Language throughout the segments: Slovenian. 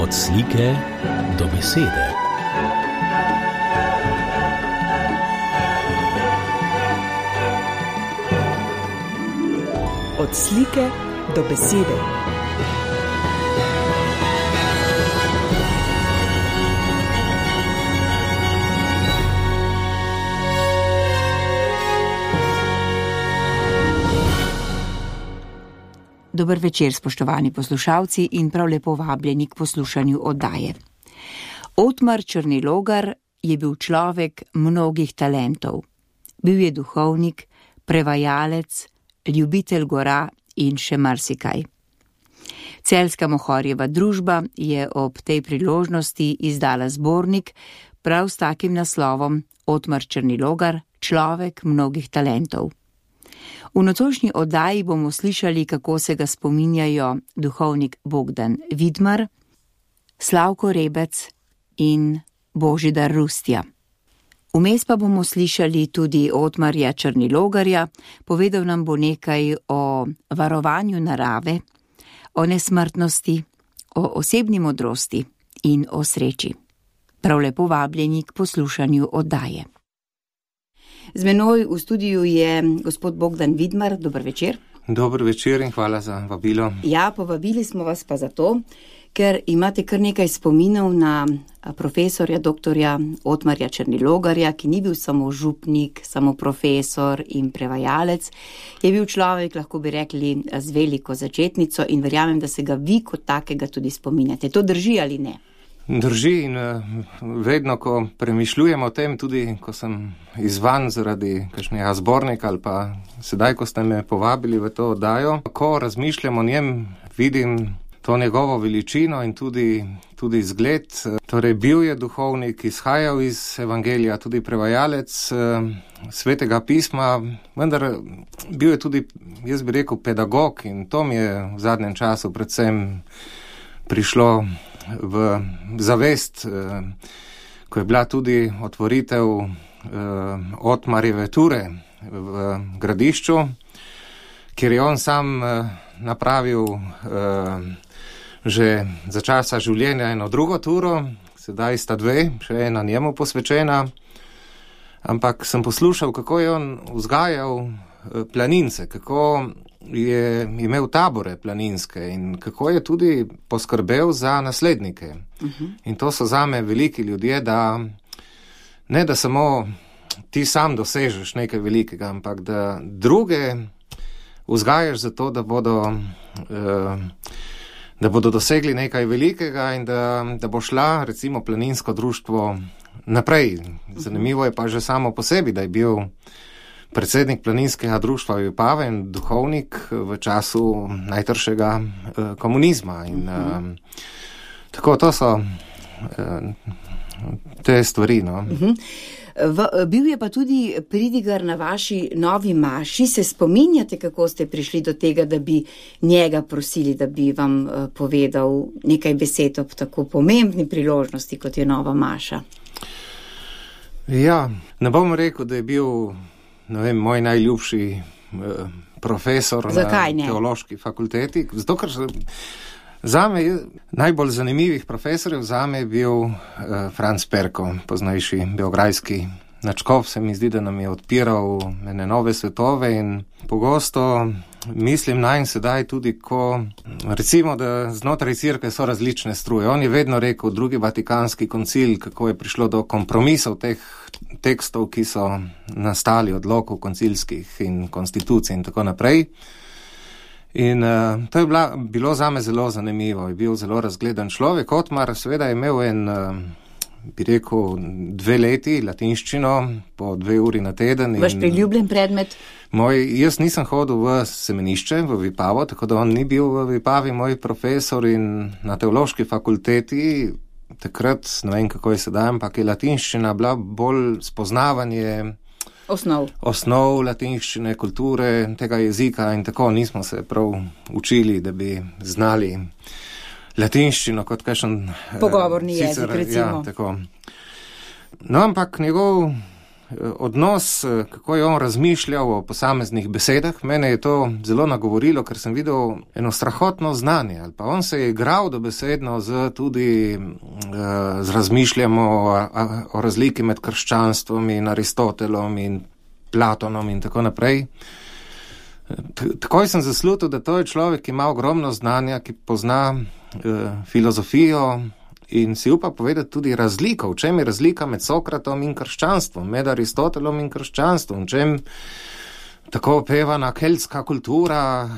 Od slike do besede. Od slike do besede. Dober večer, spoštovani poslušalci, in prav lepo vabljeni k poslušanju oddaje. Otmar Črnilogar je bil človek mnogih talentov. Bil je duhovnik, prevajalec, ljubitelj gora in še marsikaj. Celjska Mohorjeva družba je ob tej priložnosti izdala zbornik prav s takim naslovom Otmar Črnilogar, človek mnogih talentov. V nocojšnji oddaji bomo slišali, kako se ga spominjajo duhovnik Bogdan Vidmar, Slavko Rebec in Božidar Rustja. Vmes pa bomo slišali tudi Otmarja Črnilogarja, povedal nam bo nekaj o varovanju narave, o nesmrtnosti, o osebni modrosti in o sreči. Prav lepo vabljeni k poslušanju oddaje. Z menoj v studiu je gospod Bogdan Vidmar. Dober večer. Dober večer in hvala za vabilo. Ja, povabili smo vas pa zato, ker imate kar nekaj spominov na profesorja doktorja Otmarja Črnilogarja, ki ni bil samo župnik, samo profesor in prevajalec. Je bil človek, lahko bi rekli, z veliko začetnico in verjamem, da se ga vi kot takega tudi spominjate. To drži ali ne? Drži in vedno, ko premišljujem o tem, tudi ko sem izvan zaradi kakšnega zbornika ali pa sedaj, ko ste me povabili v to oddajo, ko razmišljam o njem, vidim to njegovo veličino in tudi zgled. Torej, bil je duhovnik, izhajal iz evangelija, tudi prevajalec svetega pisma, vendar bil je tudi, jaz bi rekel, pedagog in to mi je v zadnjem času predvsem prišlo v zavest, ko je bila tudi otvoritev Otmarjeve ture v Gradišču, kjer je on sam napravil že za časa življenja eno drugo turo, sedaj sta dve, še ena njemu posvečena, ampak sem poslušal, kako je on vzgajal planince, kako je imel tabore planinske in kako je tudi poskrbel za naslednike. In to so zame veliki ljudje, da ne da samo ti sam dosežeš nekaj velikega, ampak da druge vzgajaš za to, da bodo dosegli nekaj velikega in da bo šla recimo planinsko društvo naprej. Zanimivo je pa že samo po sebi, da je bil predsednik planinskega društva Vipave in duhovnik v času najtršega komunizma. In tako, to so te stvari. No. Bil je pa tudi pridigar na vaši novi maši. Se spominjate, kako ste prišli do tega, da bi njega prosili, da bi vam povedal nekaj besed ob tako pomembni priložnosti, kot je nova maša? Ja, ne bom rekel, da je bil moj najljubši profesor na teološki fakulteti. Zato, ker zame najbolj zanimivih profesorjev zame je bil Franc Perko, poznejši beograjski načkov. Se mi zdi, da nam je odpiral ene nove svetove in pogosto mislim nanj sedaj tudi, ko recimo, da znotraj cerkve so različne struje. On je vedno rekel, drugi Vatikanski koncil, kako je prišlo do kompromisov teh tekstov, ki so nastali odlokov koncilskih in konstitucij in tako naprej. In to je bilo zame zelo zanimivo. Je bil zelo razgledan človek. Otmar seveda je imel bi rekel, 2 leti latinščino po 2 uri na teden. Vaš priljubljen predmet? Jaz nisem hodil v semenišče, v Vipavo, tako da on ni bil v Vipavi moj profesor in na teološki fakulteti. Takrat, ne vem kako je sedaj, ampak je latinščina bila bolj spoznavanje osnov latinščine, kulture, tega jezika in tako nismo se prav učili, da bi znali latinščino kot kakšen pogovorni jezik, recimo. Ja, tako. No, ampak njegov odnos, kako je on razmišljal o posameznih besedah. Mene je to zelo nagovorilo, ker sem videl eno strahotno znanje. Ali pa on se je igral dobesedno tudi z razmišljanjem o razliki med krščanstvom in Aristotelom in Platonom in tako naprej. Takoj sem zaslutil, da to je človek, ki ima ogromno znanja, ki pozna filozofijo in si upa povedati tudi razliko, v čem je razlika med Sokratom in krščanstvom, med Aristotelom in krščanstvom, v čem tako opevana keltska kultura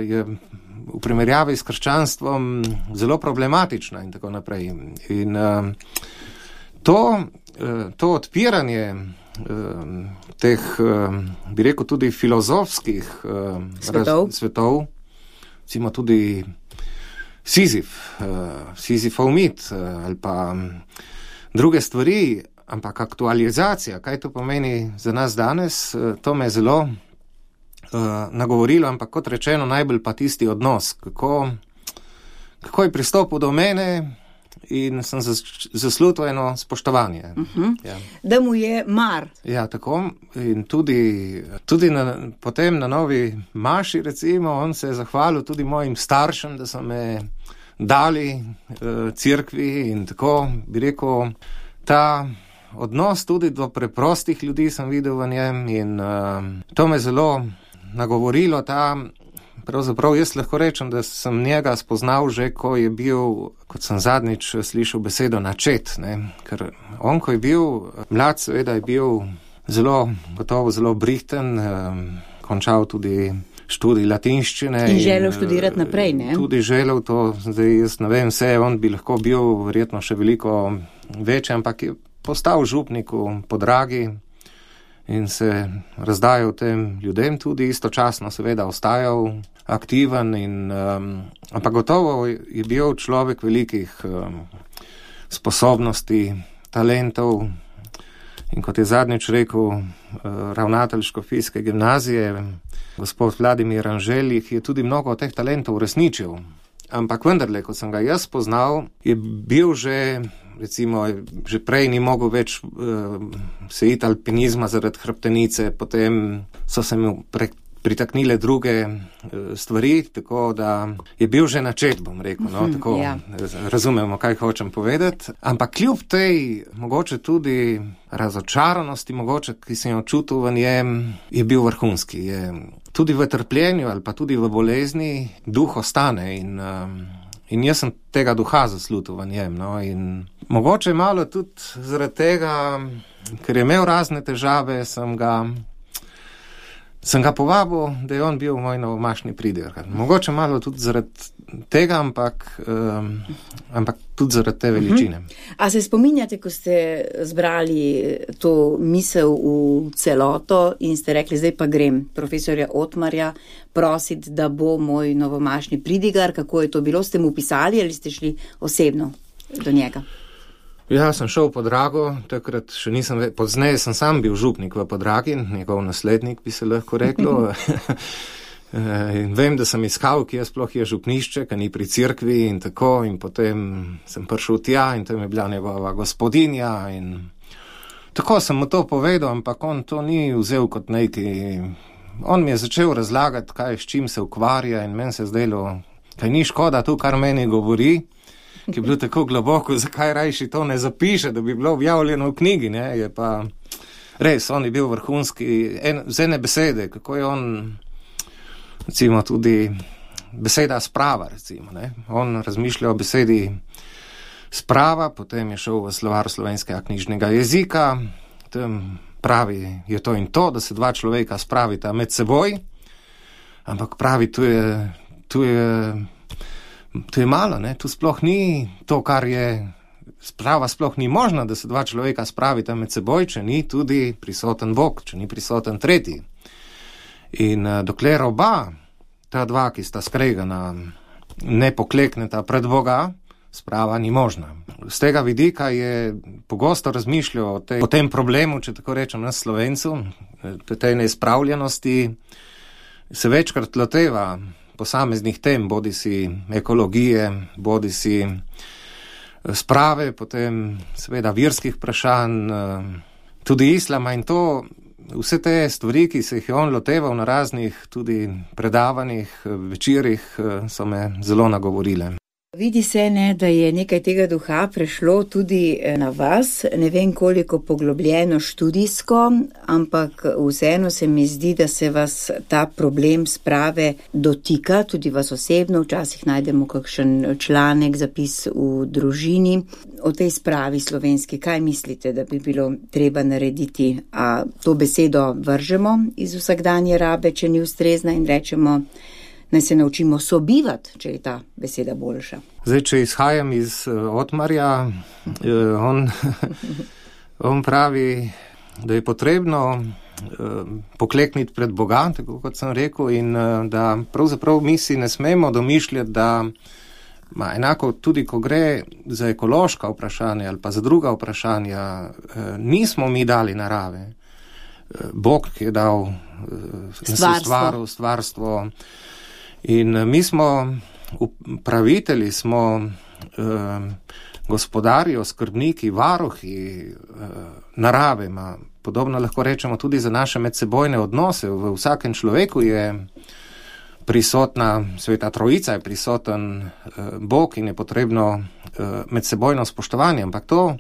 je v primerjavi s krščanstvom zelo problematična in tako naprej. In to odpiranje teh, bi rekel, tudi filozofskih svetov, recimo tudi Sizifov mit ali pa druge stvari, ampak aktualizacija, kaj to pomeni za nas danes, to me je zelo nagovorilo, ampak kot rečeno, najbolj pa tisti odnos, kako je pristopil do mene in sem zaslutil eno spoštovanje. Ja. Da mu je mar. Ja, tako. In tudi potem na novi maši, recimo, on se je zahvalil tudi mojim staršem, da so me dali cerkvi in tako, bi rekel, ta odnos tudi do preprostih ljudi sem videl v njem in to me zelo nagovorilo, pravzaprav jaz lahko rečem, da sem njega spoznal že, ko je bil, kot sem zadnjič slišal besedo, načet, ne? Ker on, ko je bil mlad, seveda je bil gotovo zelo brihten, končal tudi študij latinščine. In želel študirati naprej, ne? Tudi želel to, zdaj jaz ne vem vse, on bi lahko bil verjetno še veliko večji, ampak je postal župnik v Podragi in se razdajal tem ljudem, tudi istočasno seveda ostajal aktiven, ampak gotovo je bil človek velikih sposobnosti, talentov in kot je zadnjič rekel ravnatelj škofijske gimnazije, gospod Vladimir Anželih, je tudi mnogo teh talentov uresničil. Ampak vendarle, ko sem ga jaz spoznal, je bil že, recimo, že prej ni mogel več se iti alpinizma zaradi hrbtenice, potem so se mu pritaknile druge stvari, tako da je bil že načet, bom rekel, no, tako razumemo, kaj hočem povedati. Ampak kljub tej mogoče tudi razočaranosti, mogoče, ki sem jo čutil v njem, je bil vrhunski. Je tudi v trpljenju ali pa tudi v bolezni duh ostane in jaz sem tega duha zaslutil v njem. No, in mogoče malo tudi zaradi tega, ker je imel razne težave, sem ga povabil, da je on bil moj novomašni pridigar. Mogoče malo tudi zaradi tega, ampak tudi zaradi te veličine. A se spominjate, ko ste zbrali to misel v celoto in ste rekli, zdaj pa grem profesorja Otmarja prositi, da bo moj novomašni pridigar, kako je to bilo? Ste mu pisali ali ste šli osebno do njega? Ja, sem šel v Podrago, takrat še nisem, pozneje sem sam bil župnik v Podragi, njegov naslednik bi se lahko reklo. In vem, da sem iskal, kje sploh je župnišče, kaj ni pri cerkvi in tako, in potem sem prišel tja in tam je bila njegova gospodinja in tako sem mu to povedal, ampak on to ni vzel kot neki. On mi je začel razlagati, s čim se ukvarja in meni se zdelo, kaj ni škoda tu, kar meni govori, ki je bilo tako globoko, zakaj rajši to ne zapiše, da bi bilo objavljeno v knjigi, ne, je pa res, on je bil vrhunski, z ene besede, kako je on, recimo tudi beseda sprava, recimo, ne, on razmišlja o besedi sprava, potem je šel v slovar slovenskega knjižnega jezika, tam pravi, je to in to, da se dva človeka spravita med seboj, ampak pravi, tu je malo, ne? Tu sploh ni to, kar je sprava, sploh ni možno, da se dva človeka spravita med seboj, če ni tudi prisoten Bog, če ni prisoten tretji. In dokler oba, ta dva, ki sta skregana, ne poklekneta pred Boga, sprava ni možna. Z tega vidika je pogosto razmišljal o tem problemu, če tako rečem, nas Slovencu, tej neizpravljenosti, se večkrat loteva posameznih tem, bodi si ekologije, bodi si sprave, potem seveda verskih vprašanj, tudi islama in to, vse te stvari, ki se jih je on loteval na raznih tudi predavanjih, večerih, so me zelo nagovorile. Vidi se, ne, da je nekaj tega duha prešlo tudi na vas, ne vem koliko poglobljeno študijsko, ampak vseeno se mi zdi, da se vas ta problem sprave dotika, tudi vas osebno, včasih najdemo kakšen članek, zapis v družini. O tej spravi slovenski, kaj mislite, da bi bilo treba narediti? A to besedo vržemo iz vsakdanje rabe, če ni ustrezna in rečemo, naj se naučimo sobivati, če je ta beseda boljša. Zdaj, če izhajam iz Otmarja, on pravi, da je potrebno poklekniti pred Boga, tako kot sem rekel, in da pravzaprav mi si ne smemo domišljati, da enako tudi, ko gre za ekološka vprašanja ali pa za druga vprašanja, nismo mi dali narave. Bog je dal stvarstvo. In mi smo upravitelji, smo gospodarji, skrbniki, varuhi narave, podobno lahko rečemo tudi za naše medsebojne odnose. V vsakem človeku je prisotna Sveta Trojica, je prisoten Bog in je potrebno medsebojno spoštovanje, ampak to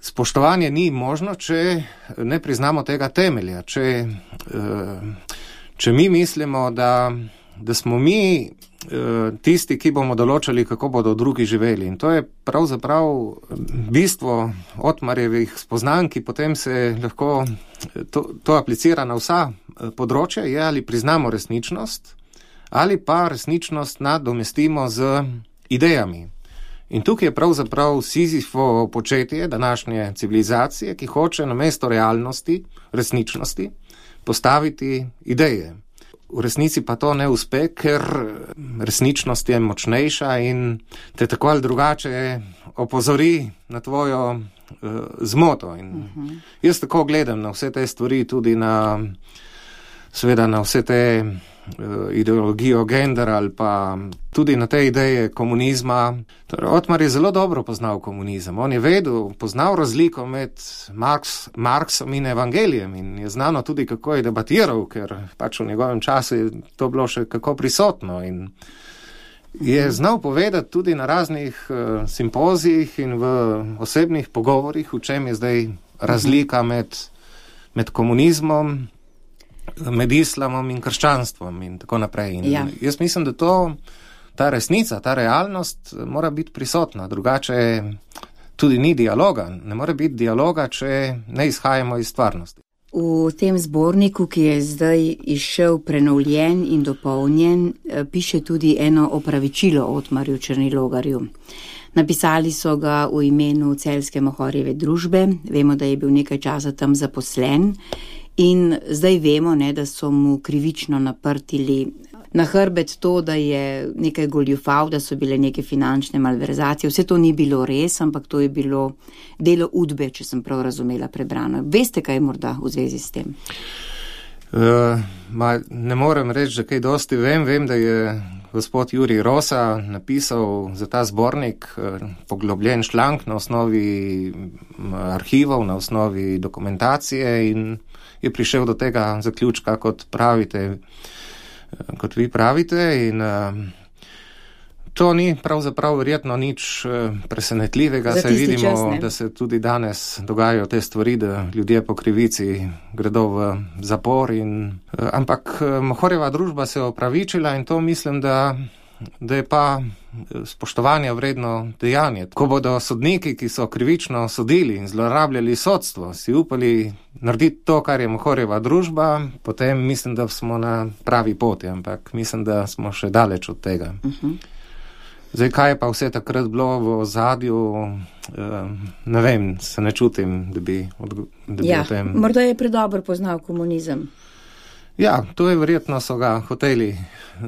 spoštovanje ni možno, če ne priznamo tega temelja, če mi mislimo, da smo mi tisti, ki bomo določali, kako bodo drugi živeli. In to je pravzaprav bistvo Otmarjevih spoznanj, ki potem se lahko to aplicira na vsa področja, je ali priznamo resničnost, ali pa resničnost nadomestimo z idejami. In tukaj je pravzaprav Sizifovo početje današnje civilizacije, ki hoče namesto realnosti, resničnosti, postaviti ideje. V resnici pa to ne uspe, ker resničnost je močnejša in te tako ali drugače opozori na tvojo zmoto. In jaz tako gledam na vse te stvari, tudi seveda na vse te ideologijo gender ali pa tudi na te ideje komunizma. Torej, Otmar je zelo dobro poznal komunizem. On je poznal razliko med Marksom in evangelijem in je znano tudi, kako je debatiral, ker pač v njegovem času je to bilo še kako prisotno in je znal povedati tudi na raznih simpozijih in v osebnih pogovorih, v čem je zdaj razlika med komunizmom, med islamom in krščanstvom in tako naprej. In jaz mislim, da ta resnica, ta realnost mora biti prisotna, drugače tudi ni dialoga. Ne more biti dialoga, če ne izhajamo iz stvarnosti. V tem zborniku, ki je zdaj izšel prenovljen in dopolnjen, piše tudi eno opravičilo Otmarju Černilogarju. Napisali so ga v imenu Celjske Mohorjeve družbe, vemo, da je bil nekaj časa tam zaposlen in zdaj vemo, da so mu krivično naprtili na hrbet to, da je nekaj goljufal, da so bile neke finančne malverzacije. Vse to ni bilo res, ampak to je bilo delo udbe, če sem prav razumela prebrano. Veste, kaj je morda v zvezi s tem? Ne morem reči, da kaj dosti vem, da je gospod Jurij Rosa napisal za ta zbornik poglobljen članek na osnovi arhivov, na osnovi dokumentacije in je prišel do tega zaključka, kot vi pravite, in to ni pravzaprav verjetno nič presenetljivega, saj vidimo, da se tudi danes dogajajo te stvari, da ljudje po krivici gredo v zapor, ampak Mohorjeva družba se je opravičila in to mislim, da je pa spoštovanja vredno dejanje. Ko bodo sodniki, ki so krivično sodili in zlorabljali sodstvo, si upali narediti to, kar je Mohorjeva družba, potem mislim, da smo na pravi poti, ampak mislim, da smo še daleč od tega. Zdaj, kaj je pa vse takrat bilo v ozadju, ne vem, se ne čutim, da bi o tem... Morda je predobro poznal komunizem. Ja, to je verjetno so ga hoteli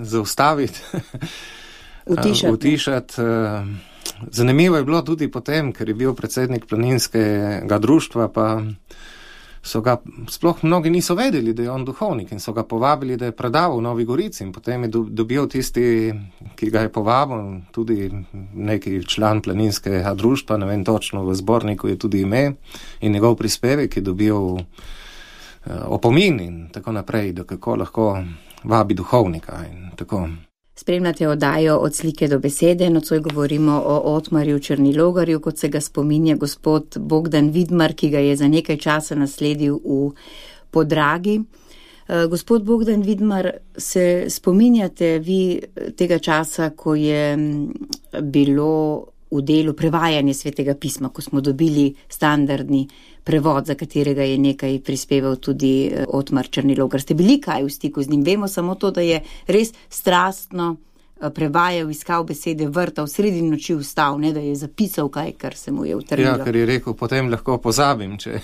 zaustaviti, utišati. Zanimivo je bilo tudi potem, ker je bil predsednik planinskega društva, pa so ga, sploh mnogi niso vedeli, da je on duhovnik in so ga povabili, da je predaval v Novi Gorici in potem je dobil tisti, ki ga je povabil, tudi neki član planinskega društva, ne vem točno, v zborniku je tudi ime in njegov prispevek je dobil opomin in tako naprej, da kako lahko vabi duhovnika in tako. Spremljate oddajo Od slike do besede, nocoj govorimo o Otmarju Črnilogarju, kot se ga spominja gospod Bogdan Vidmar, ki ga je za nekaj časa nasledil v Podragi. Gospod Bogdan Vidmar, se spominjate vi tega časa, ko je bilo v delu prevajanje Svetega pisma, ko smo dobili standardni prevod, za katerega je nekaj prispeval tudi Otmar Črnilogar. Ste bili kaj v stiku z njim? Vemo samo to, da je res strastno prevajal, iskal besede, vrtal, sredi noči vstal, ne da je zapisal kaj, kar se mu je utrnilo. Ja, ker je rekel, potem lahko pozabim, če...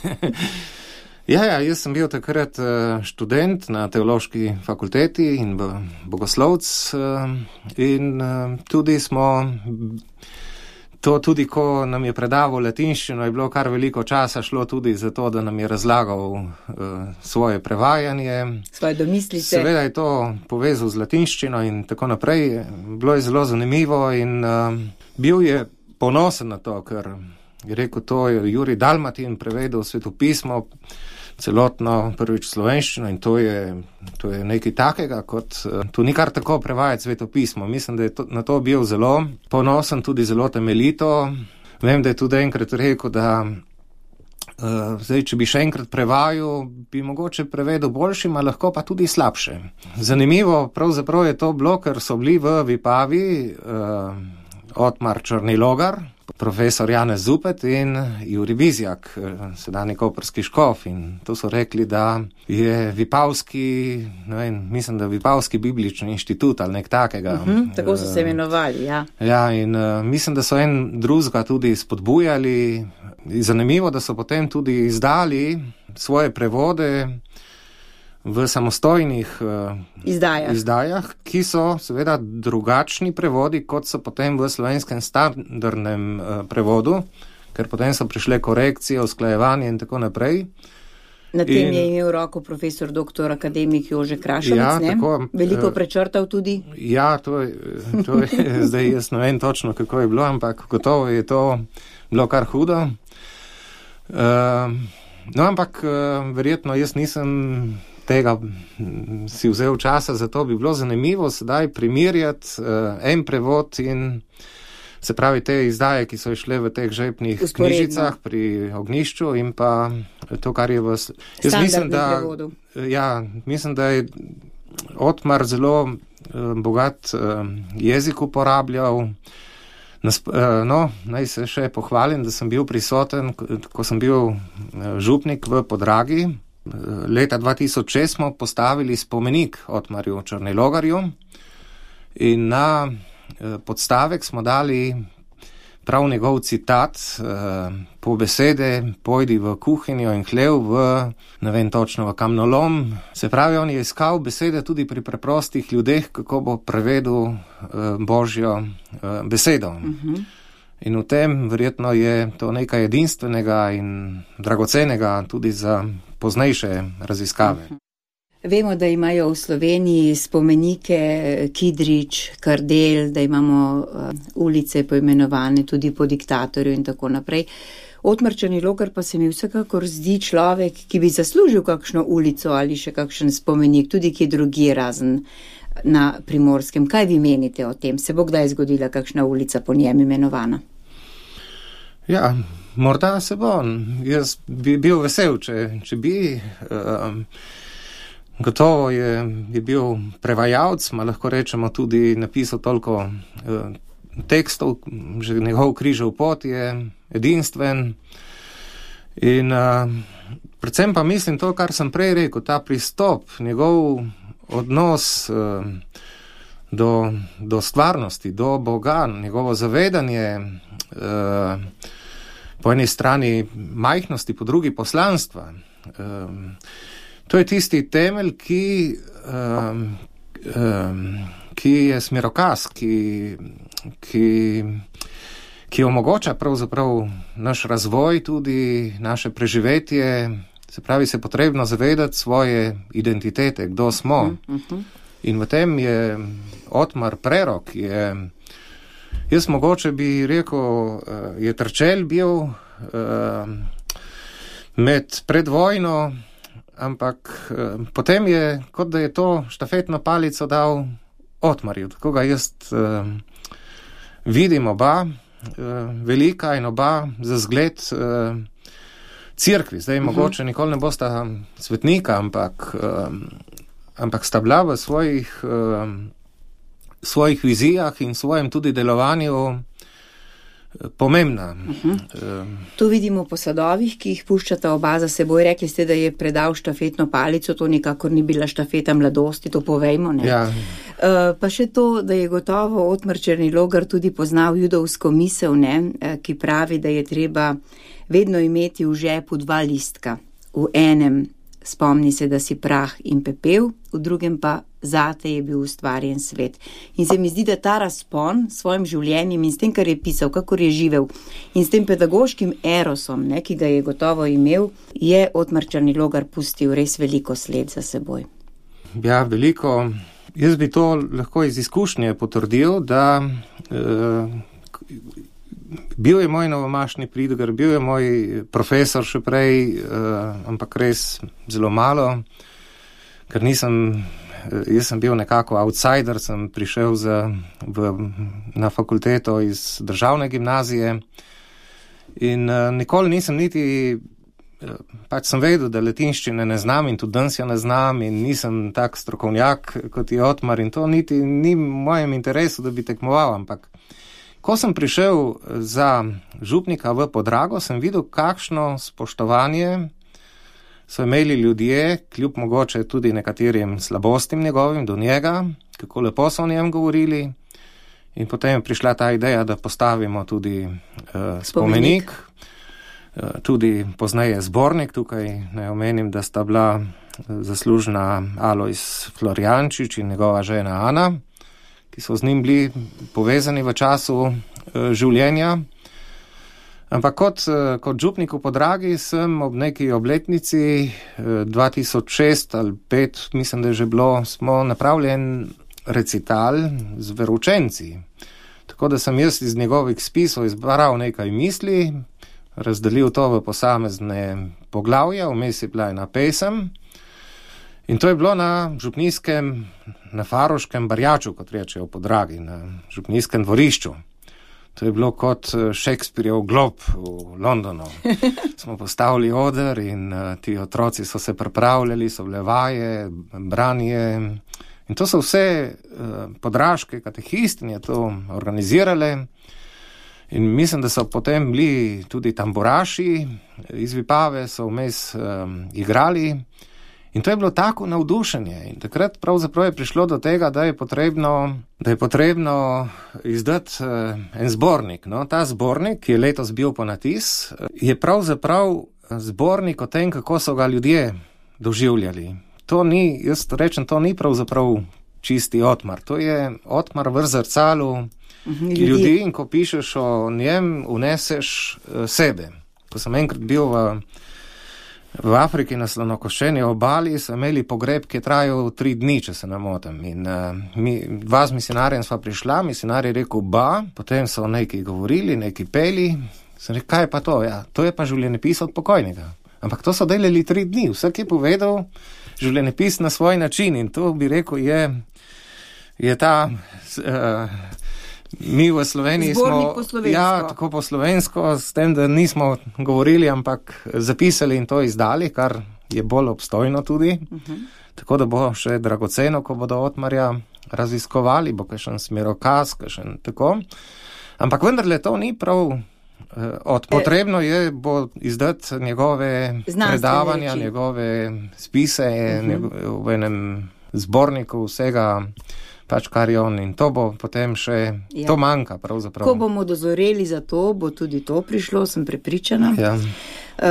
Ja, jaz sem bil takrat študent na teološki fakulteti in bogoslovc in tudi smo... To tudi, ko nam je predaval latinščino, je bilo kar veliko časa šlo tudi za to, da nam je razlagal svoje prevajanje. Svoje domislice. Seveda je to povezal z latinščino in tako naprej. Bilo je zelo zanimivo in bil je ponosen na to, ker je rekel, to je Jurij Dalmatin prevedel svetopismo, celotno prvič slovenščino in to je nekaj takega, kot tu ni kar tako prevajati svetopismo. Mislim, da je na to bil zelo ponosen, tudi zelo temeljito. Vem, da je tudi enkrat rekel, da zdaj, če bi še enkrat prevajal, bi mogoče prevedel boljšima, lahko pa tudi slabše. Zanimivo pravzaprav je to bilo, ker so bili v Vipavi Otmar Črnilogar, profesor Janez Zupet in Jurij Bizjak, sedanji koprski škof, in to so rekli, da je Vipavski, ne vem, mislim, da Vipavski biblični inštitut ali nek takega. Tako so se imenovali, ja. Ja, in mislim, da so en drugega tudi spodbujali. Zanimivo, da so potem tudi izdali svoje prevode v samostojnih izdajah, ki so seveda drugačni prevodi, kot so potem v slovenskem standardnem prevodu, ker potem so prišle korekcije, usklajevanje in tako naprej. Na tem je imel roko profesor doktor akademik Jože Krašovec, ne? Tako, veliko prečrtal tudi? Ja, to je zdaj jaz ne vem točno, kako je bilo, ampak gotovo je to bilo kar hudo. No, ampak verjetno jaz nisem tega si vzel časa, zato bi bilo zanimivo sedaj primerjati en prevod in se pravi te izdaje, ki so išle v teh žepnih knjižicah pri Ognjišču in pa to, kar je v standardnem prevodu. Ja, mislim, da je Otmar zelo bogat jezik uporabljal. No, naj se še pohvalim, da sem bil prisoten, ko sem bil župnik v Podragi. Leta 2006 smo postavili spomenik Otmarju Črnilogarju in na podstavek smo dali prav njegov citat, po besede pojdi v kuhinjo in hlev v, ne vem točno, v kamnolom. Se pravi, on je iskal besede tudi pri preprostih ljudeh, kako bo prevedel Božjo besedo. In v tem verjetno je to nekaj edinstvenega in dragocenega tudi za poznejše raziskave. Vemo, da imajo v Sloveniji spomenike Kidrič, Kardel, da imamo ulice poimenovane tudi po diktatorju in tako naprej. Otmar Črnilogar pa se mi vsekakor zdi človek, ki bi zaslužil kakšno ulico ali še kakšen spomenik, tudi kje drugje razen na Primorskem. Kaj vi menite o tem? Se bo kdaj zgodila kakšna ulica po njem imenovana? Ja, morda se bo. Jaz bi bil vesel, če bi. Gotovo je bil prevajalc, lahko rečemo tudi napisal toliko tekstov, že njegov križev pot je edinstven. In predvsem pa mislim to, kar sem prej rekel, ta pristop, njegov odnos do stvarnosti, do Boga, njegovo zavedanje po eni strani majhnosti, po drugi poslanstva. To je tisti temelj, ki je smerokaz, ki omogoča pravzaprav naš razvoj, tudi naše preživetje Se pravi, se potrebno zavedati svoje identitete, kdo smo. In v tem je Otmar Prerok, jaz mogoče bi rekel, je trčel bil pred vojno, ampak potem je, kot da je to štafetno palico dal Otmarju. Tako ga jaz vidim oba, velika in oba za zgled cerkvi. Zdaj mogoče nikoli ne bosta svetnika, ampak sta bila v svojih vizijah in svojem tudi delovanju pomembna. To vidimo po sadovih, ki jih puščata oba za seboj. Rekli ste, da je predal štafetno palico, to nikakor ni bila štafeta mladosti, to povejmo, ne? Ja. Pa še to, da je gotovo Otmar Černilogar tudi poznal judovsko misel, ne? Ki pravi, da je treba vedno imeti v žepu 2 listka. V enem spomni se, da si prah in pepel, v drugem pa zate je bil ustvarjen svet. In se mi zdi, da ta razpon s svojim življenjem in s tem, kar je pisal, kakor je živel in s tem pedagoškim erosom, ne, ki ga je gotovo imel, je Otmar Černilogar pustil res veliko sled za seboj. Ja, veliko. Jaz bi to lahko iz izkušnje potrdil, da bil je moj novomašni Pridgar, bil je moj profesor še prej, ampak res zelo malo, ker jaz sem bil nekako outsider, sem prišel na fakulteto iz državne gimnazije in nikoli nisem niti, pač sem vedel, da latinščine ne znam in tudi danes jo ne znam in nisem tak strokovnjak kot je Otmar in to niti ni v mojem interesu, da bi tekmoval, ampak ko sem prišel za župnika v Podrago, sem videl, kakšno spoštovanje so imeli ljudje, kljub mogoče tudi nekaterim slabostim njegovim do njega, kako lepo so o njem govorili. In potem je prišla ta ideja, da postavimo tudi spomenik. Tudi pozneje zbornik, tukaj naj omenim, da sta bila zaslužna Alojz Florjančič in njegova žena Ana, ki so z njim bili povezani v času življenja. Ampak kot župnik v Podragi sem ob neki obletnici 2006 ali 2005, mislim, da je že bilo, smo napravljen recital z veroučenci. Tako da sem jaz iz njegovih spisov izbral nekaj misli, razdelil to v posamezne poglavja, vmes je bila ena pesem. In to je bilo na župnijskem, na Faroškem barjaču, kot rečejo v Podragi, na župnijskem dvorišču. To je bilo kot Shakespeareov Glob v Londonu. Smo postavili oder in ti otroci so se pripravljali, so bile vaje, branje. In to so vse podraške katehistinje to organizirale. In mislim, da so potem bili tudi tamburaši iz Vipave, so vmes igrali. In to je bilo tako navdušenje. In takrat pravzaprav je prišlo do tega, da je potrebno izdati en zbornik. No, ta zbornik, ki je letos bil ponatis, je pravzaprav zbornik o tem, kako so ga ljudje doživljali. To ni, jaz rečem, to ni pravzaprav čisti Otmar. To je Otmar v zrcalu ljudi in ko pišeš o njem, uneseš sebe. Ko sem enkrat bil v Afriki na Slonokoščeni obali, so imeli pogreb, ki je trajal 3 dni, če se ne motim. In dva z misionarjem sva prišla, misionar je rekel ba, potem so neki govorili, neki peli. Sem rekel, kaj je pa to? Ja, to je pa življenjepis od pokojnega. Ampak to so delali 3 dni, vsak je povedal življenjepis na svoj način in to bi rekel je ta... Mi v Sloveniji zbornik smo, tako po slovensko, s tem, da nismo govorili, ampak zapisali in to izdali, kar je bolj obstojno tudi. Tako da bo še dragoceno, ko bodo Otmarja raziskovali, bo kakšen smerokaz, kakšen tako. Ampak vendarle to ni prav potrebno je bo izdati njegove predavanja, njegove spise v enem zborniku vsega, pač kar je on in to bo potem še, to manjka pravzaprav. Ko bomo dozoreli za to, bo tudi to prišlo, sem prepričana. Ja.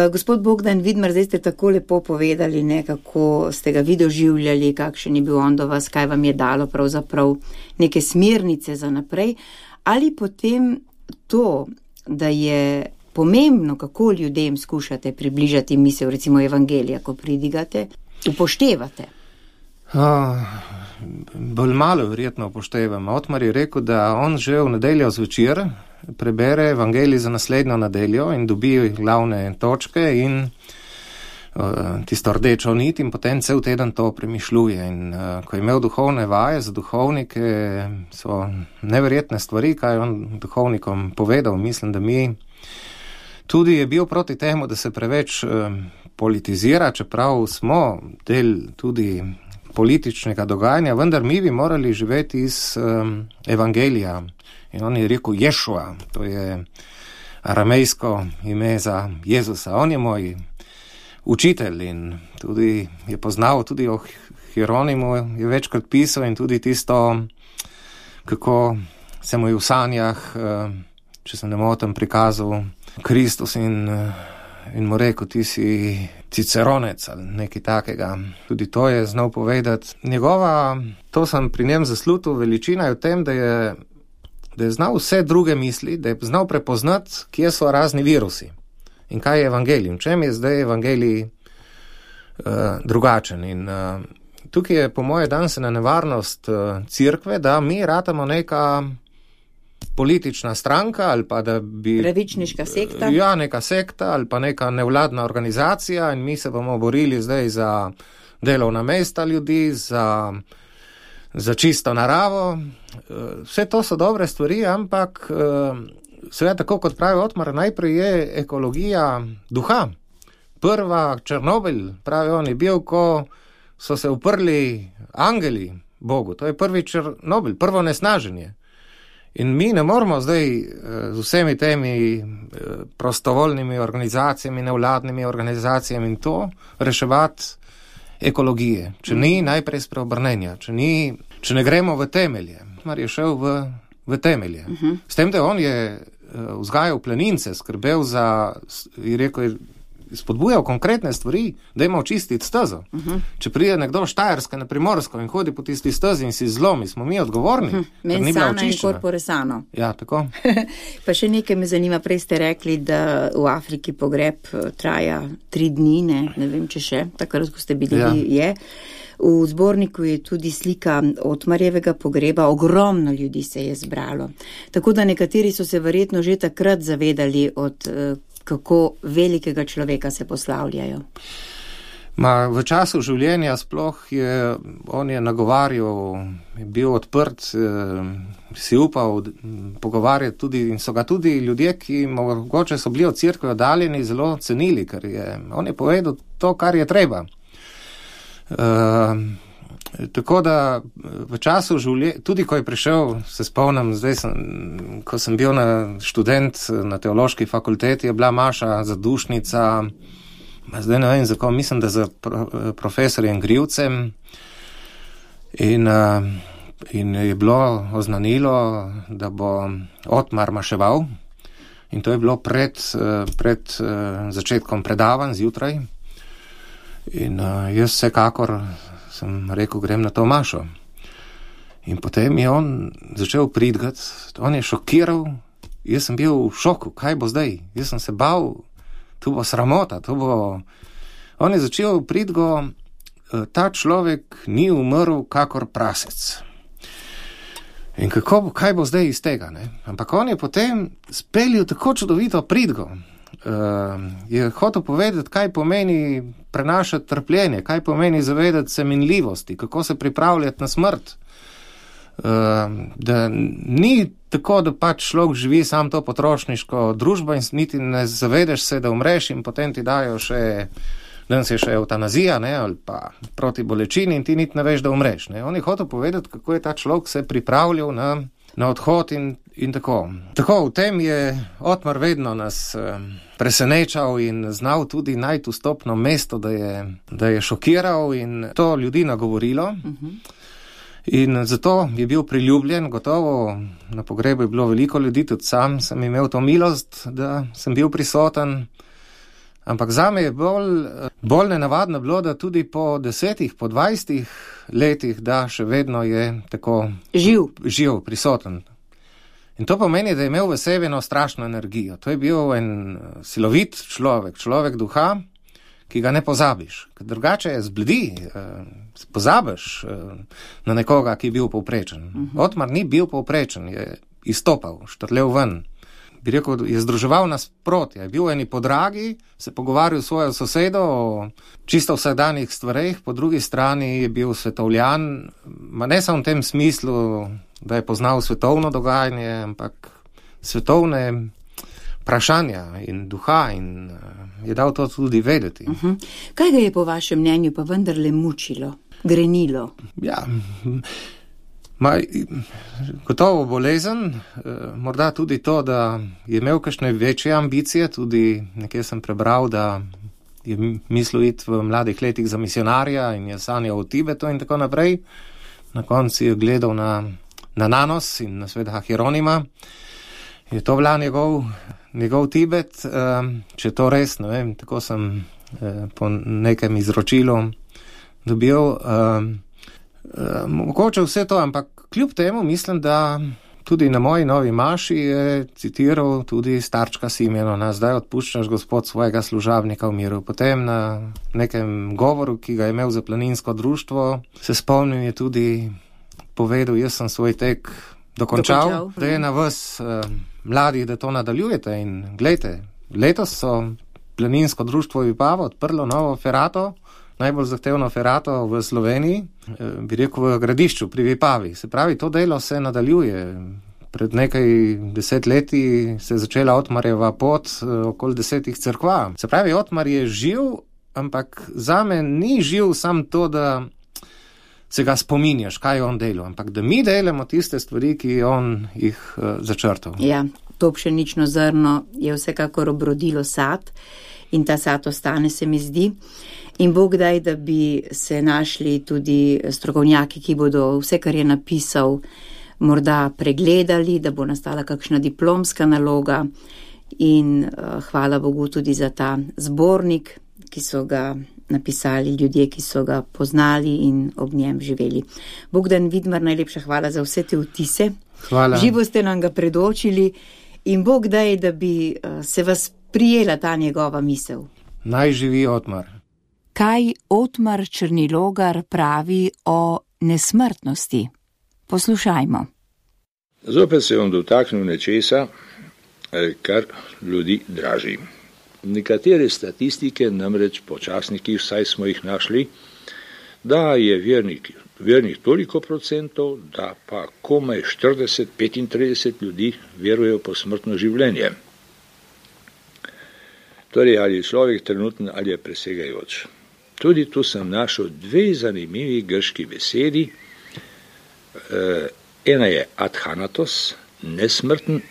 Gospod Bogdan Vidmar, zdaj ste tako lepo povedali, kako ste ga vi doživljali, kakšen je bil on do vas, kaj vam je dalo pravzaprav neke smernice za naprej. Ali potem to, da je pomembno, kako ljudem skušate približati misel, recimo evangelija, ko pridigate, upoštevate? Bolj malo verjetno upoštevam. Otmar je rekel, da on že v nedeljo zvečer prebere evangelij za naslednjo nedeljo in dobi glavne točke in tisto rdečo nit in potem cel teden to premišljuje. In ko je imel duhovne vaje za duhovnike, so neverjetne stvari, kaj je on duhovnikom povedal. Mislim, da mi tudi je bil proti temu, da se preveč politizira, čeprav smo del tudi političnega dogajanja, vendar mi bi morali živeti iz evangelija. In on je rekel Ješua, to je aramejsko ime za Jezusa. On je moj učitelj in tudi je poznal, tudi o Hieronimu je večkrat pisal in tudi tisto, kako se mu je v sanjah, če se ne motim, prikazal Kristus in mu rekel, ti si ciceronec ali nekaj takega. Tudi to je znal povedati. To sem pri njem zaslutil, veličina je v tem, da je znal vse druge misli, da je znal prepoznati, kje so razni virusi in kaj je evangelij. V čem je zdaj evangelij drugačen. In tukaj je po moje dansena nevarnost cerkve, da mi ratamo neka politična stranka ali pa da bi... Pravičniška sekta? Ja, neka sekta ali pa neka nevladna organizacija in mi se bomo borili zdaj za delovna mesta ljudi, za čisto naravo. Vse to so dobre stvari, ampak seveda tako kot pravi Otmar, najprej je ekologija duha. Prva Černobil, pravi on, je bil, ko so se uprli angeli Bogu. To je prvi Černobil, prvo nesnaženje. In mi ne moramo zdaj z vsemi temi prostovoljnimi organizacijami, nevladnimi organizacijami in to reševati ekologije. Če ni najprej spreobrnenja, če ne gremo v temelje. Mar je šel v temelje. S tem, da on je vzgajal planince, skrbel je rekel, spodbujal konkretne stvari, da ima očistiti stezo. Če pride nekdo Štajerska na Primorsko in hodi po tisti stezi in si zlomi, smo mi odgovorni, ker ni bila očiščena. In corpore sano. Ja, tako. Pa še nekaj me zanima, prej ste rekli, da v Afriki pogreb traja 3 dni, ne vem, če še, takrat, ko ste bili, je. V zborniku je tudi slika Otmarjevega pogreba, ogromno ljudi se je zbralo. Tako da nekateri so se verjetno že takrat zavedali od kako velikega človeka se poslavljajo. V času življenja sploh on je nagovarjal, je bil odprt, si upal pogovarjati tudi in so ga tudi ljudje, ki mogoče so bili od cerkve oddaljeni, zelo cenili, ker on je povedal to, kar je treba. Tako da v času življenja, tudi ko je prišel, se spomnim, ko sem bil študent na teološki fakulteti, je bila maša zadušnica, zdaj ne vem, zakaj, mislim, da za profesorjem Grivcem in je bilo oznanilo, da bo Otmar maševal in to je bilo pred začetkom predavanj zjutraj in jaz vsekakor sem rekel, grem na to mašo. In potem je on začel pridgati, on je šokiral, jaz sem bil v šoku, kaj bo zdaj? Jaz sem se bal, to bo sramota, On je začel pridgo, ta človek ni umrl kakor prasec. In kaj bo zdaj iz tega, ne? Ampak on je potem speljal tako čudovito pridgo. Je hotel povedati, kaj pomeni prenašati trpljenje, kaj pomeni zavedati se minljivosti, kako se pripravljati na smrt. Da ni tako, da pač človek živi sam to potrošniško družbo in niti ne zavedeš se, da umreš in potem ti dajo še, danes je še eutanazija, ne, ali pa proti bolečini in ti niti ne veš, da umreš. Ne. On je hotel povedati, kako je ta človek se pripravljal na odhod in tako. Tako, v tem je Otmar vedno nas presenečal in znal tudi najti vstopno mesto, da je šokiral in to ljudi nagovorilo. In zato je bil priljubljen, gotovo na pogrebu je bilo veliko ljudi, tudi sam sem imel to milost, da sem bil prisoten. Ampak zame je bolj nenavadno bilo, da tudi po 10, po 20 letih, da še vedno je tako živ, prisoten. In to pomeni, da je imel v sebi eno strašno energijo. To je bil en silovit človek duha, ki ga ne pozabiš. Ker drugače je zbledi, pozabiš na nekoga, ki je bil povprečen. Otmar ni bil povprečen, je izstopal, štrlel ven. Bi rekel, je združeval nasprotje. Je bil v eni podragi, se pogovarjal s svojo sosedo o čisto vsakdanjih stvareh, po drugi strani je bil svetovljan, ne samo v tem smislu, da je poznal svetovno dogajanje, ampak svetovne vprašanja in duha in je dal to tudi vedeti. Kaj ga je po vašem mnenju pa vendarle mučilo, grenilo? Ja, gotovo bolezen, morda tudi to, da je imel kakšne večje ambicije, tudi nekje sem prebral, da je mislil iti v mladih letih za misionarja in je sanjal o Tibetu in tako naprej. Na koncu je gledal na Nanos in na sveta Hieronima. Je to bila njegov Tibet, če to res, ne vem, tako sem po nekem izročilu dobil. Mogoče vse to, ampak kljub temu mislim, da tudi na moji novi maši je citiral tudi starčka Simjona, zdaj odpuščaš Gospod svojega služabnika v miru. Potem na nekem govoru, ki ga je imel za planinsko društvo, se spomnim, je tudi povedal, jaz sem svoj tek dokončal. Da je na vas mladih, da to nadaljujete in gledajte, letos so planinsko društvo Vipava odprlo novo ferato, najbolj zahtevno ferato v Sloveniji, bi rekel v Gradišču pri Vipavi. Se pravi, to delo se nadaljuje. Pred nekaj 10 leti se je začela Otmarjeva pot okoli 10 cerkva. Se pravi, Otmar je živ, ampak zame ni živ sam to, da se ga spominjaš, kaj je on delal, ampak da mi delamo tiste stvari, ki on jih začrtal. Ja, to pšenično zrno je vsekakor obrodilo sad in ta sad ostane, se mi zdi. In Bog daj, da bi se našli tudi strokovnjaki, ki bodo vse, kar je napisal, morda pregledali, da bo nastala kakšna diplomska naloga in hvala Bogu tudi za ta zbornik, ki so ga napisali ljudje, ki so ga poznali in ob njem živeli. Bogdan Vidmar, najlepša hvala za vse te vtise. Hvala. Živo ste nam ga predočili in Bog daj, da bi se vas prijela ta njegova misel. Naj živi Otmar. Kaj Otmar Črnilogar pravi o nesmrtnosti? Poslušajmo. Zopet se bom dotaknil nečesa, kar ljudi draži. Nekatere statistike, namreč po časnikih, vsaj smo jih našli, da je vernih toliko procentov, da pa komaj 40-35 ljudi verujejo po smrtno življenje. Torej, ali je človek trenutno ali je presegajoč. Tudi tu sem našel dve zanimivi grški besedi. Ena je adhanatos, nesmrten,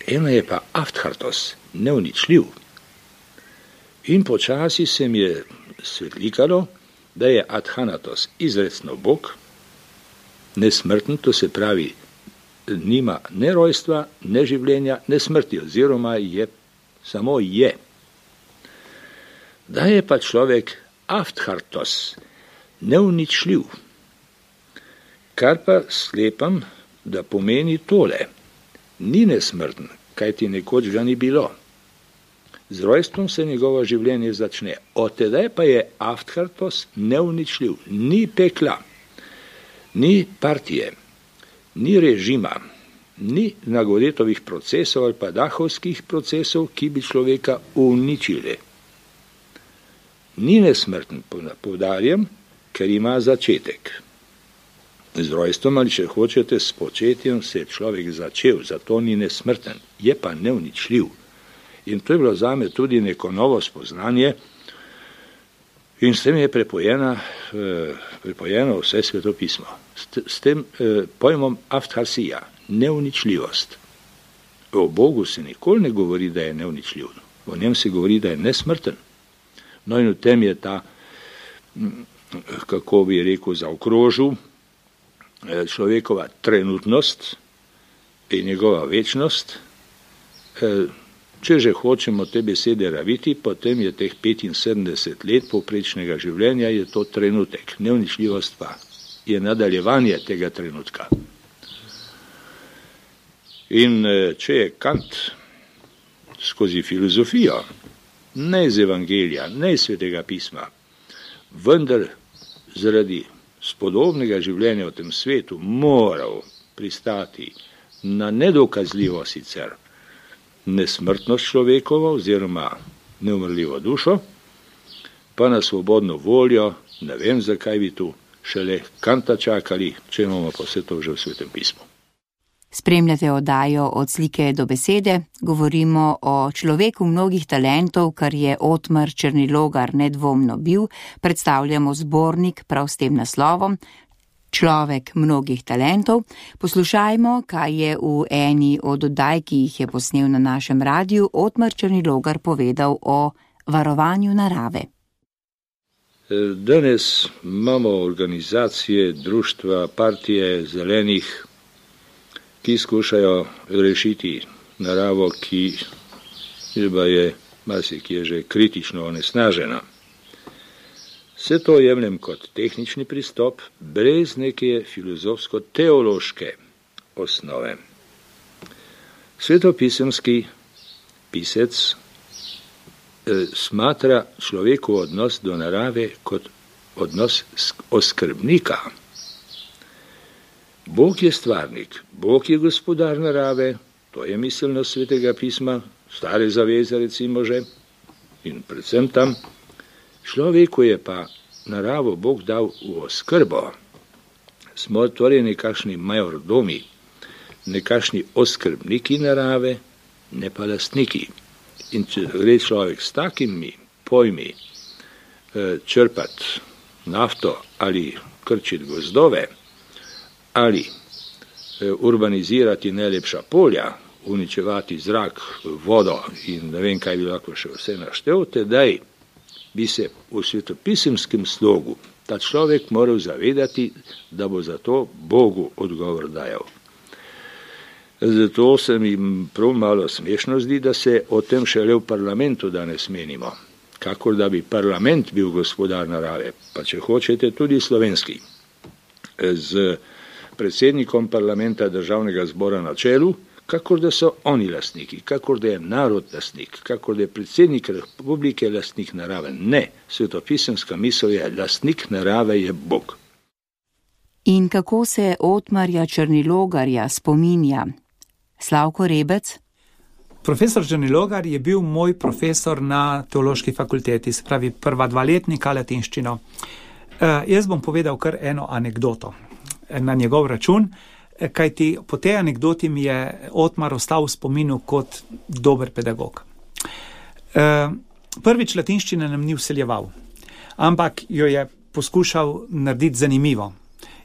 ena je pa afthartos, neuničljiv. In počasi se mi je svetlikalo, da je adhanatos izrecno Bog, nesmrten, to se pravi, nima ne rojstva, ne življenja, ne smrti, oziroma je, samo je. Da je pa človek afthartos, neuničljiv, kar pa sklepam, da pomeni tole. Ni nesmrten, kajti nekoč ga ni bilo. Z rojstvom se njegovo življenje začne. Od tedaj pa je afthartos neuničljiv. Ni pekla, ni partije, ni režima, ni Nagoretovih procesov ali pa dahovskih procesov, ki bi človeka uničili. Ni nesmrten, poudarjam, ker ima začetek. Z rojstvom ali, če hočete, s početjem se je človek začel, zato ni nesmrten, je pa neuničljiv. In to je bilo zame tudi neko novo spoznanje in s tem je prepojeno vse svetopismo. S tem pojmom aftharsija, neuničljivost. O Bogu se nikoli ne govori, da je neuničljiv. O njem se govori, da je nesmrten. No in v tem je ta, kako bi rekel, zaokrožil človekova trenutnost in njegova večnost. Če že hočemo te besede raviti, potem je teh 75 let povprečnega življenja, je to trenutek. Neuničljivost pa je nadaljevanje tega trenutka. In če je Kant skozi filozofijo, ne iz Evangelija, ne iz Svetega pisma, vendar zaradi spodobnega življenja v tem svetu moral pristati na nedokazljivo sicer nesmrtnost človekovo oziroma neumrljivo dušo, pa na svobodno voljo, ne vem, zakaj bi tu šele Kanta čakali, če imamo pa vse to že v Svetem pismu. Spremljate oddajo Od slike do besede, govorimo o človeku mnogih talentov, kar je Otmar Černilogar nedvomno bil, predstavljamo zbornik prav s tem naslovom Človek mnogih talentov. Poslušajmo, kaj je v eni od oddaj, ki jih je posnel na našem radiju, Otmar Černilogar povedal o varovanju narave. Danes imamo organizacije, društva, partije zelenih, ki skušajo rešiti naravo, ki je marsikje že kritično onesnažena. Vse to jemljem kot tehnični pristop, brez neke filozofsko-teološke osnove. Svetopisemski pisec smatra človekov odnos do narave kot odnos oskrbnika. Bog je stvarnik, Bog je gospodar narave, to je miselnost Svetega pisma, Stare zaveze recimo že, in predvsem tam. Človeku je pa naravo Bog dal v oskrbo. Smo torej nekakšni majordomi, nekakšni oskrbniki narave, ne pa lastniki. In če gre človek s takimi pojmi črpati nafto ali krčiti gozdove, ali urbanizirati najlepša polja, uničevati zrak, vodo in ne vem, kaj bi lahko še vse naštel, tedaj bi se v svetopisemskem slogu ta človek moral zavedati, da bo za to Bogu odgovor dajal. Zato se mi prav malo smešno zdi, da se o tem šele v parlamentu danes menimo, kakor da bi parlament bil gospodar narave, pa če hočete tudi slovenski. Z predsednikom parlamenta Državnega zbora na čelu, kakor da so oni lastniki, kakor da je narod lastnik, kakor da je predsednik republike lastnik narave. Ne, svetopisemska misel je, lastnik narave je Bog. In kako se Otmarja Černilogarja spominja Slavko Rebec? Profesor Černilogar je bil moj profesor na teološki fakulteti, se pravi prva 2 letnika latinščino. Jaz bom povedal kar eno anekdoto na njegov račun, kajti po tej anekdoti mi je Otmar ostal v spominu kot dober pedagog. Prvič latinščine nam ni vseljeval, ampak jo je poskušal narediti zanimivo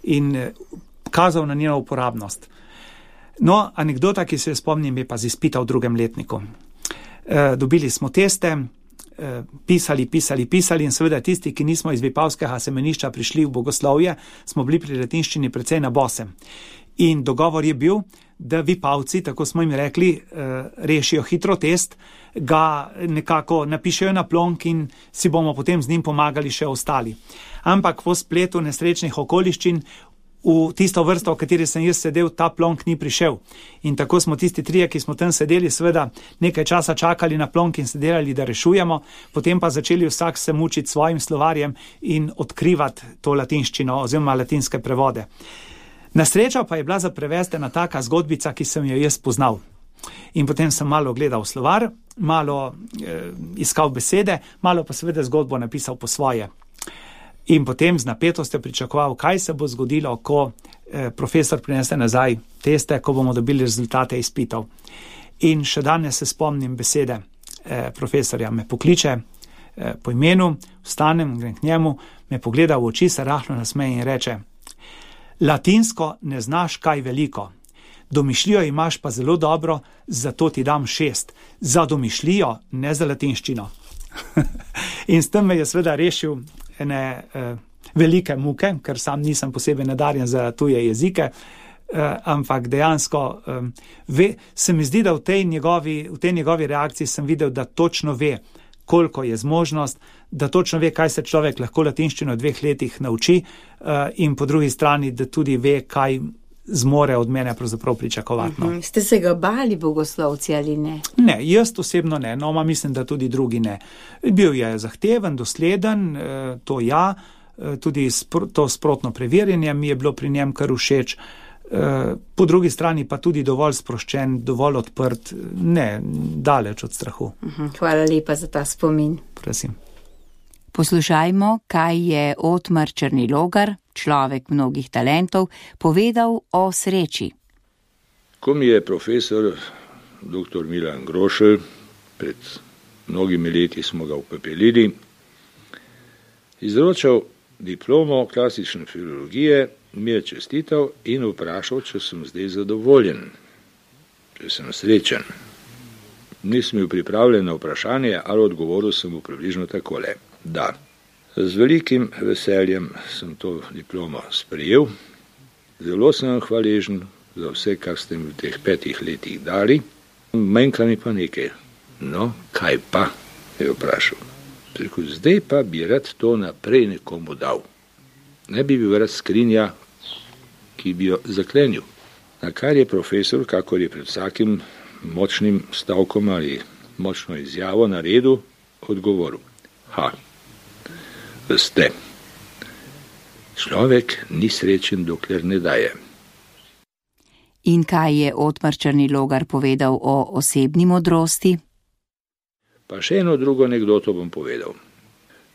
in kazal na njeno uporabnost. No, anekdota, ki se jo spomnim, je pa z izpita v 2. letniku. Dobili smo teste, pisali in seveda tisti, ki nismo iz Vipavskega semenišča prišli v bogoslovje, smo bili pri latinščini precej na bose. In dogovor je bil, da Vipavci, tako smo jim rekli, rešijo hitro test, ga nekako napišejo na plonk in si bomo potem z njim pomagali še ostali. Ampak v spletu nesrečnih okoliščin v tisto vrsto, v kateri sem jaz sedel, ta plonk ni prišel. In tako smo tisti 3, ki smo tam sedeli, seveda nekaj časa čakali na plonk in se delali, da rešujemo, potem pa začeli vsak se mučiti svojim slovarjem in odkrivati to latinščino oziroma latinske prevode. Na srečo pa je bila za prevesti ena taka zgodbica, ki sem jo jaz poznal. In potem sem malo gledal slovar, malo iskal besede, malo pa seveda zgodbo napisal po svoje. In potem z napetostjo pričakoval, kaj se bo zgodilo, ko profesor prinese nazaj teste, ko bomo dobili rezultate izpitov. In še danes se spomnim besede profesorja. Me pokliče po imenu, vstanem, grem k njemu, me pogleda v oči, se rahlo nasmeje in reče: latinsko ne znaš kaj veliko, domišljijo imaš pa zelo dobro, zato ti dam 6. Za domišljijo, ne za latinščino. In s tem me je seveda rešil ene velike muke, ker sam nisem posebej nadarjen za tuje jezike, ampak dejansko se mi zdi, da v tej njegovi reakciji sem videl, da točno ve, koliko je zmožnost, da točno ve, kaj se človek lahko latinščino v 2 letih nauči in po drugi strani, da tudi ve, kaj zmore od mene pravzaprav pričakovati. No. Ste se ga bali, bogoslovci, ali ne? Ne, jaz osebno ne, no, mislim, da tudi drugi ne. Bil je zahteven, dosleden, to ja, tudi to sprotno preverjanje mi je bilo pri njem kar všeč, po drugi strani pa tudi dovolj sproščen, dovolj odprt, ne, daleč od strahu. Hvala lepa za ta spomin. Prosim. Poslušajmo, kaj je Otmar Črnilogar, človek mnogih talentov, povedal o sreči. Ko mi je profesor dr. Milan Grošelj, pred mnogimi leti smo ga upepelili, izročal diplomo klasične filologije, mi je čestital in vprašal, če sem zdaj zadovoljen, če sem srečen. Nisem bil pripravljen na vprašanje, ali odgovoril sem mu približno takole. Da, z velikim veseljem sem to diplomo sprejel, zelo sem hvaležen za vse, kar ste mi v teh 5 letih dali, manjka mi pa nekaj. No, kaj pa, je vprašal. Rekel, zdaj pa bi rad to naprej nekomu dal. Ne bi bil rad skrinja, ki bi jo zaklenil. Na kar je profesor, kakor je pred vsakim močnim stavkom ali močno izjavo naredil, odgovoril. Veste, človek ni srečen, dokler ne daje. In kaj je Otmar Črnilogar povedal o osebni modrosti? Pa še eno drugo anekdoto bom povedal.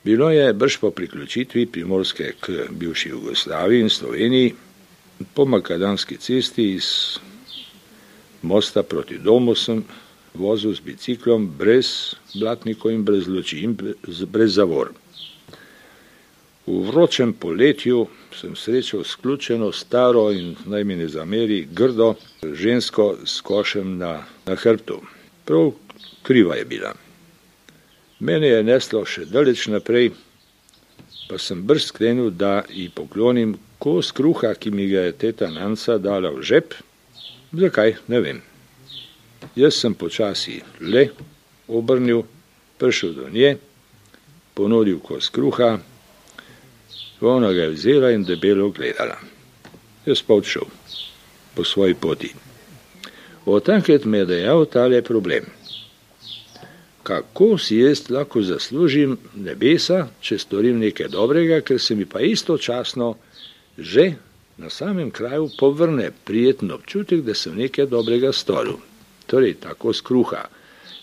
Bilo je brž po priključitvi Primorske k bivši Jugoslaviji in Sloveniji, po makadamski cesti iz mosta proti domu sem vozil z biciklom brez blatnikov in brez luči in brez zavor. V vročem poletju sem srečal sključeno, staro in naj mi ne zameri grdo žensko s košem na hrbtu. Prav kriva je bila. Mene je neslo še daleč naprej, pa sem brž sklenil, da ji poklonim kos kruha, ki mi ga je teta Nanca dala v žep. Zakaj, ne vem. Jaz sem počasi le obrnil, prišel do nje, ponudil kos kruha, ona ga je vzela in debelo gledala. Jaz pa odšel po svoji poti. Od takrat me je dejal tale problem. Kako si jaz lahko zaslužim nebesa, če storim nekaj dobrega, ker se mi pa istočasno že na samem kraju povrne prijeten občutek, da sem nekaj dobrega storil. Torej, tako skruha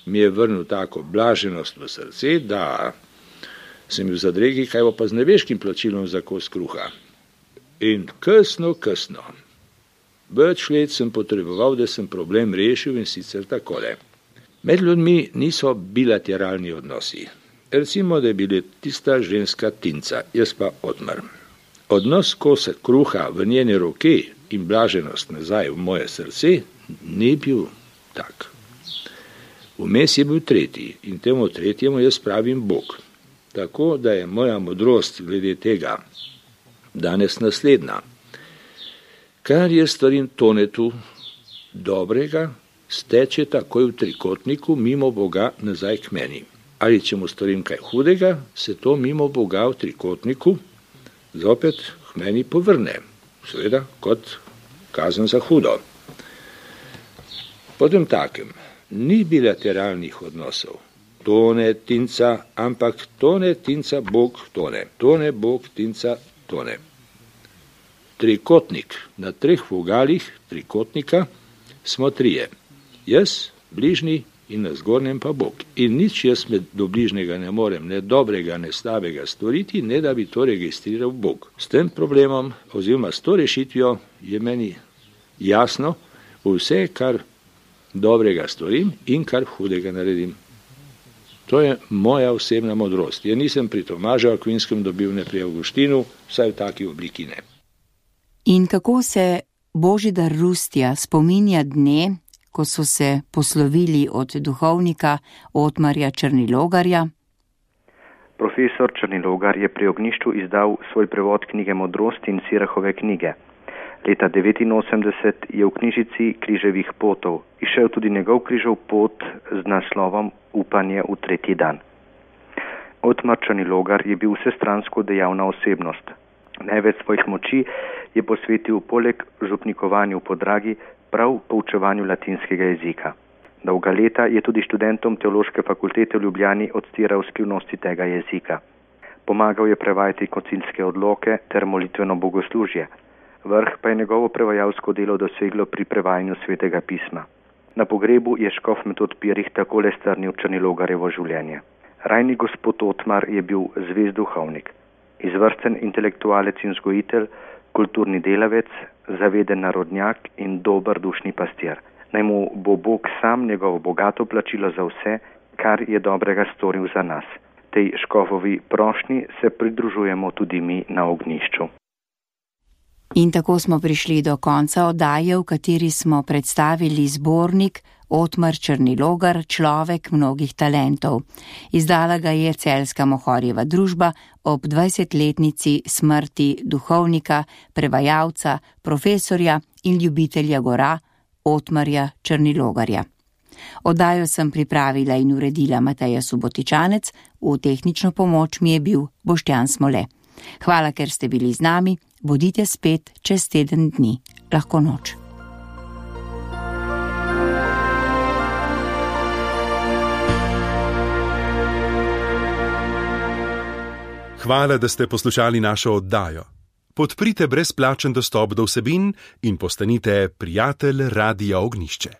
mi je vrnil tako blaženost v srce, da sem bil v zadregi, kaj bo pa z nebeškim plačilom za kos kruha. In kasno, več let sem potreboval, da sem problem rešil, in sicer takole. Med ljudmi niso bilateralni odnosi. Recimo, da je bila tista ženska Tinca, jaz pa Otmar. Odnos kosa kruha v njene roke in blaženost nazaj v moje srce ni bil tak. Vmes je bil tretji in temu tretjemu jaz pravim Bog. Tako da je moja modrost glede tega danes naslednja. Kar je storim Tonetu dobrega, steče takoj v trikotniku mimo Boga nazaj k meni. Ali če mu storim kaj hudega, se to mimo Boga v trikotniku zopet k meni povrne. Seveda kot kazen za hudo. Potem takem, ni bilateralnih odnosov. Tone, Tinca, ampak tone, Tinca, Bog, tone. Tone, Bog, Tinca, tone. Trikotnik. Na 3 vogalih trikotnika smo 3. Jaz, bližnji in na zgornjem pa Bog. In nič jaz do bližnjega ne morem, ne dobrega, ne slabega storiti, ne da bi to registriral Bog. S tem problemom, oziroma s to rešitvijo, je meni jasno vse, kar dobrega storim in kar hudega naredim. To je moja osebna modrost. Jaz nisem pri Tomažu Akvinskem dobil, ne pri Avguštinu, vsaj v taki obliki ne. In kako se Božidar Rustja spominja dne, ko so se poslovili od duhovnika Otmarja Črnilogarja? Profesor Črnilogar je pri ognjišču izdal svoj prevod knjige Modrosti in Sirahove knjige. Leta 1989 je v knjižici Križevih potov izšel tudi njegov križev pot z naslovom Upanje v tretji dan. Otmar Črnilogar je bil vsestransko dejavna osebnost. Največ svojih moči je posvetil poleg župnikovanju po Dragi prav poučevanju latinskega jezika. Dolga leta je tudi študentom Teološke fakultete v Ljubljani odstiral skrivnosti tega jezika. Pomagal je prevajati koncilske odloke ter molitveno bogoslužje. Vrh pa je njegovo prevajalsko delo doseglo pri prevajanju Svetega pisma. Na pogrebu je škof Metod Pirih takole strnil Črnilogarjevo življenje. Rajni gospod Otmar je bil zvest duhovnik, izvrsten intelektualec in vzgojitelj, kulturni delavec, zaveden narodnjak in dober dušni pastir. Naj mu bo Bog sam njegovo bogato plačilo za vse, kar je dobrega storil za nas. Tej škofovi prošnji se pridružujemo tudi mi na ognjišču. In tako smo prišli do konca oddaje, v kateri smo predstavili zbornik Otmar Črnilogar, človek mnogih talentov. Izdala ga je Celjska Mohorjeva družba ob 20-letnici smrti duhovnika, prevajalca, profesorja in ljubitelja gora Otmarja Črnilogarja. Oddajo sem pripravila in uredila Mateja Subotičanec, v tehnično pomoč mi je bil Boštjan Smole. Hvala, ker ste bili z nami, bodite spet čez teden dni. Lahko noč. Hvala, da ste poslušali našo oddajo. Podprite brezplačen dostop do vsebin in postanite prijatelj Radia Ognjišče.